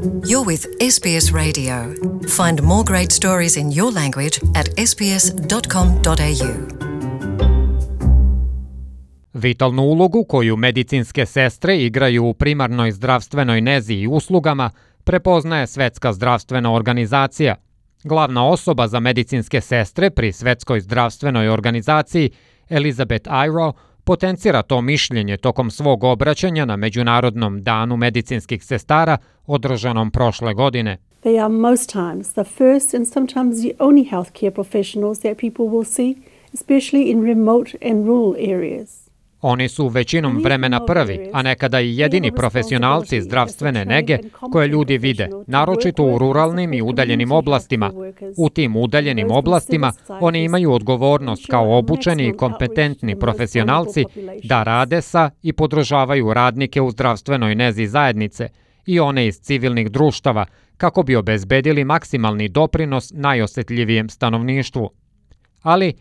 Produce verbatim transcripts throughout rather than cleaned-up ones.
You're with S B S Radio. Find more great stories in your language at s b s dot com dot a u. Vitalnu ulogu koju medicinske sestre igraju u primarnoj zdravstvenoj nezi i uslugama prepoznaje Svetska zdravstvena organizacija. Glavna osoba za medicinske sestre pri Svetskoj zdravstvenoj organizaciji, Elizabeth Iro, potencira to mišljenje tokom svog obraćanja na Međunarodnom danu medicinskih sestara održanom prošle godine. They are most times the first and sometimes the only healthcare professionals that people will see, especially in remote and rural areas. Oni su većinom vremena prvi, a nekada i jedini profesionalci zdravstvene nege koje ljudi vide, naročito u ruralnim i udaljenim oblastima. U tim udaljenim oblastima oni imaju odgovornost kao obučeni i kompetentni profesionalci da rade sa i podržavaju radnike u zdravstvenoj nezi zajednice i one iz civilnih društava kako bi obezbedili maksimalni doprinos najosetljivijem stanovništvu. Ali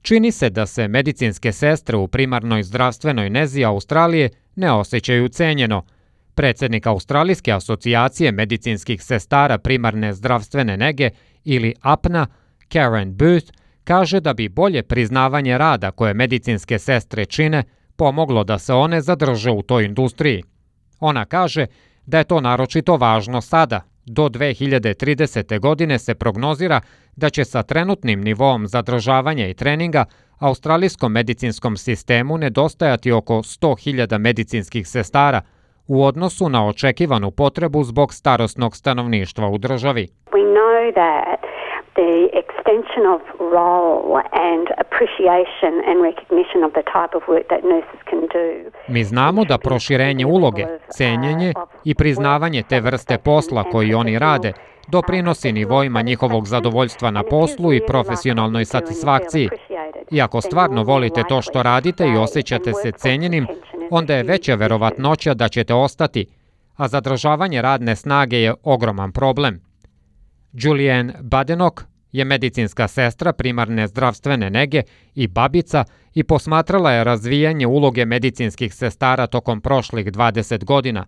čini se da se medicinske sestre u primarnoj zdravstvenoj nezi Australije ne osjećaju cenjeno. Predsjednik Australijske asocijacije medicinskih sestara primarne zdravstvene nege ili A P N A, Karen Booth, kaže da bi bolje priznavanje rada koje medicinske sestre čine pomoglo da se one zadrže u toj industriji. Ona kaže da je to naročito važno sada. Do dve hiljade tridesete. godine se prognozira da će sa trenutnim nivoom zadržavanja i treninga australijskom medicinskom sistemu nedostajati oko sto hiljada medicinskih sestara u odnosu na očekivanu potrebu zbog starosnog stanovništva u državi. We know that the extension of role and appreciation and recognition of the type of work that nurses can do. Mi znamo da proširenje uloge, cenjenje i priznavanje te vrste posla koji oni rade doprinosi nivoima njihovog zadovoljstva na poslu i profesionalnoj satisfakciji. I ako stvarno volite to što radite i osjećate se cenjenim, onda je veća verovatnoća da ćete ostati, a zadržavanje radne snage je ogroman problem. Julianne Badenoch je medicinska sestra primarne zdravstvene nege i babica i posmatrala je razvijanje uloge medicinskih sestara tokom prošlih dvadeset godina.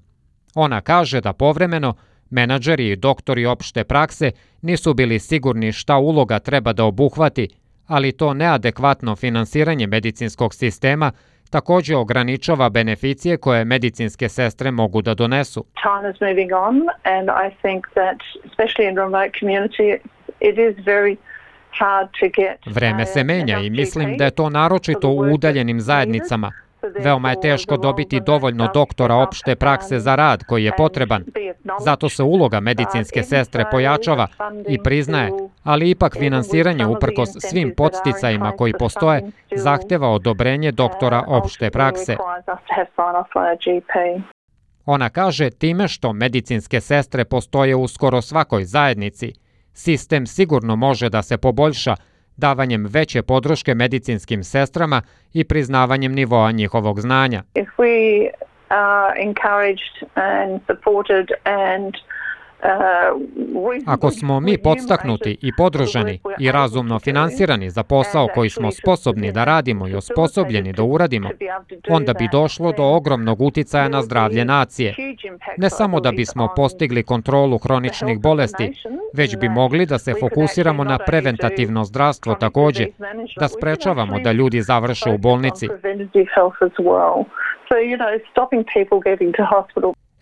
Ona kaže da povremeno menadžeri i doktori opšte prakse nisu bili sigurni šta uloga treba da obuhvati, ali to neadekvatno finansiranje medicinskog sistema također ograničava beneficije koje medicinske sestre mogu da donesu. Time is moving on and I think that especially in remote community it is very hard to get. Vreme se menja i mislim da je to naročito u udaljenim zajednicama. Veoma je teško dobiti dovoljno doktora opšte prakse za rad koji je potreban. Zato se uloga medicinske sestre pojačava i priznaje, ali ipak finansiranje uprkos svim podsticajima koji postoje zahteva odobrenje doktora opšte prakse. Ona kaže time što medicinske sestre postoje u skoro svakoj zajednici, sistem sigurno može da se poboljša davanjem veće podrške medicinskim sestrama i priznavanjem nivoa njihovog znanja. If we are encouraged and supported and Ako smo mi podstaknuti i podržani i razumno finansirani za posao koji smo sposobni da radimo i osposobljeni da uradimo, onda bi došlo do ogromnog uticaja na zdravlje nacije. Ne samo da bismo postigli kontrolu hroničnih bolesti, već bi mogli da se fokusiramo na preventativno zdravstvo također, da sprečavamo da ljudi završe u bolnici.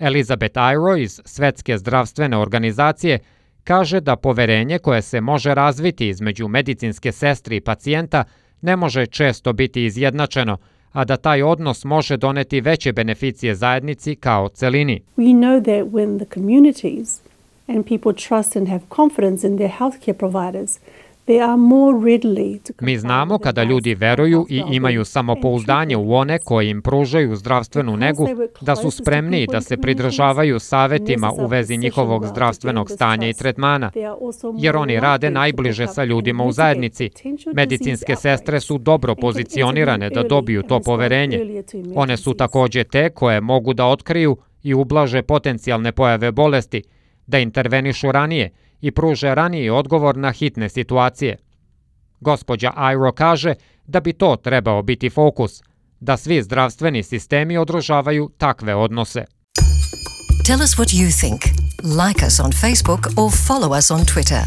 Elizabeth Iro iz Svetske zdravstvene organizacije kaže da poverenje koje se može razviti između medicinske sestre i pacijenta ne može često biti izjednačeno, a da taj odnos može doneti veće beneficije zajednici kao celini. We know that when the communities and people trust and have confidence in their healthcare providers, Mi znamo kada ljudi veruju i imaju samopouzdanje u one koji im pružaju zdravstvenu negu, da su spremniji da se pridržavaju savetima u vezi njihovog zdravstvenog stanja i tretmana, jer oni rade najbliže sa ljudima u zajednici. Medicinske sestre su dobro pozicionirane da dobiju to poverenje. One su također te koje mogu da otkriju i ublaže potencijalne pojave bolesti, da intervenišu ranije i pruže raniji odgovor na hitne situacije. Gospođa Iro kaže da bi to trebao biti fokus, da svi zdravstveni sistemi održavaju takve odnose. Tell us what you think. Like us on Facebook or follow us on Twitter.